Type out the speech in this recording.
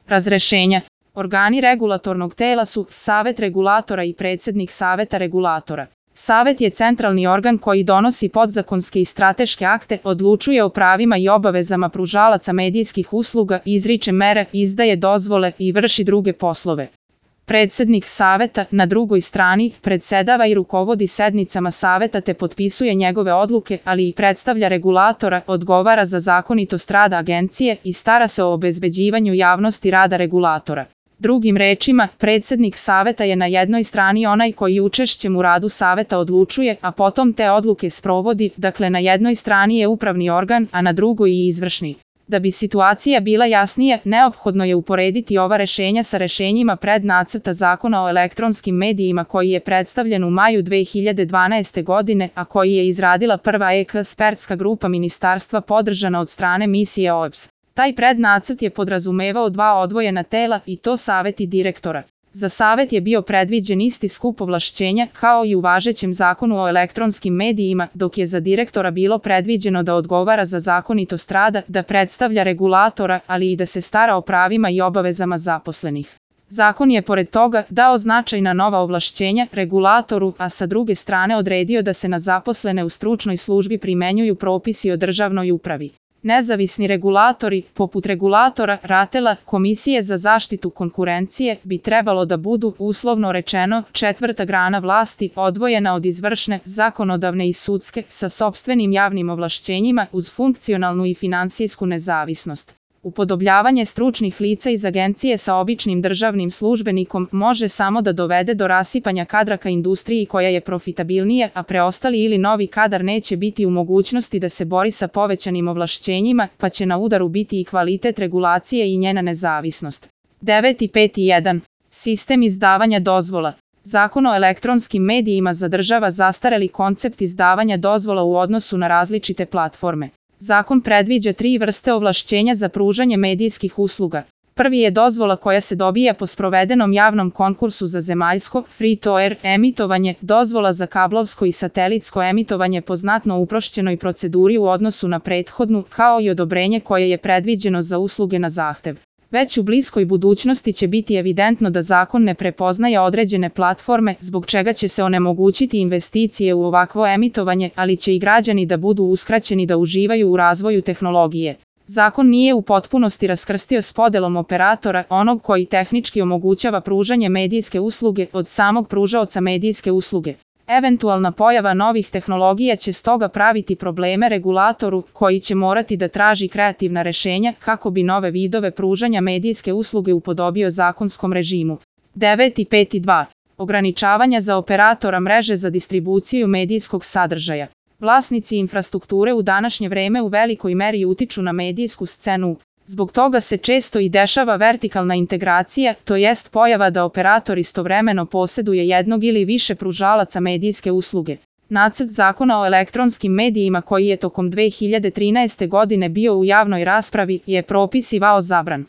Razrešenja. Organi regulatornog tela su Savet regulatora i predsednik Saveta regulatora. Savet je centralni organ koji donosi podzakonske i strateške akte, odlučuje o pravima i obavezama pružalaca medijskih usluga, izriče mere, izdaje dozvole i vrši druge poslove. Predsednik Saveta, na drugoj strani, predsedava i rukovodi sednicama Saveta te potpisuje njegove odluke, ali i predstavlja regulatora, odgovara za zakonitost rada agencije i stara se o obezbeđivanju javnosti rada regulatora. Drugim rečima, predsednik Saveta je na jednoj strani onaj koji učešćem u radu Saveta odlučuje, a potom te odluke sprovodi, dakle na jednoj strani je upravni organ, a na drugoj i izvršni. Da bi situacija bila jasnija, neophodno je uporediti ova rešenja sa rešenjima prednacrta Zakona o elektronskim medijima koji je predstavljen u maju 2012. godine, a koji je izradila prva ekspertska grupa ministarstva podržana od strane misije OEBS. Taj prednacrt je podrazumevao dva odvojena tela i to savet i direktora. Za savet je bio predviđen isti skup ovlašćenja kao i u važećem Zakonu o elektronskim medijima, dok je za direktora bilo predviđeno da odgovara za zakonitost rada, da predstavlja regulatora, ali i da se stara o pravima i obavezama zaposlenih. Zakon je pored toga dao značajna nova ovlašćenja regulatoru, a sa druge strane odredio da se na zaposlene u stručnoj službi primenjuju propisi o državnoj upravi. Nezavisni regulatori, poput regulatora, RATEL-a, Komisije za zaštitu konkurencije, bi trebalo da budu, uslovno rečeno, četvrta grana vlasti, odvojena od izvršne, zakonodavne i sudske, sa sopstvenim javnim ovlašćenjima uz funkcionalnu i finansijsku nezavisnost. Upodobljavanje stručnih lica iz agencije sa običnim državnim službenikom može samo da dovede do rasipanja kadra ka industriji koja je profitabilnija, a preostali ili novi kadar neće biti u mogućnosti da se bori sa povećanim ovlašćenjima, pa će na udaru biti i kvalitet regulacije i njena nezavisnost. 9.5.1. Sistem izdavanja dozvola. Zakon o elektronskim medijima zadržava zastareli koncept izdavanja dozvola u odnosu na različite platforme. Zakon predviđa 3 vrste ovlašćenja za pružanje medijskih usluga. Prvi je dozvola koja se dobija po sprovedenom javnom konkursu za zemaljsko, free-to-air, emitovanje, dozvola za kablovsko i satelitsko emitovanje po znatno uprošćenoj proceduri u odnosu na prethodnu, kao i odobrenje koje je predviđeno za usluge na zahtev. Već u bliskoj budućnosti će biti evidentno da zakon ne prepoznaje određene platforme, zbog čega će se onemogućiti investicije u ovakvo emitovanje, ali će i građani da budu uskraćeni da uživaju u razvoju tehnologije. Zakon nije u potpunosti raskrstio s podelom operatora, onog koji tehnički omogućava pružanje medijske usluge, od samog pružaoca medijske usluge. Eventualna pojava novih tehnologija će stoga praviti probleme regulatoru, koji će morati da traži kreativna rešenja kako bi nove vidove pružanja medijske usluge upodobio zakonskom režimu. 9.5.2. Ograničavanja za operatora mreže za distribuciju medijskog sadržaja. Vlasnici infrastrukture u današnje vreme u velikoj meri utiču na medijsku scenu. Zbog toga se često i dešava vertikalna integracija, to jest pojava da operator istovremeno poseduje jednog ili više pružalaca medijske usluge. Nacrt Zakona o elektronskim medijima koji je tokom 2013. godine bio u javnoj raspravi je propisivao zabran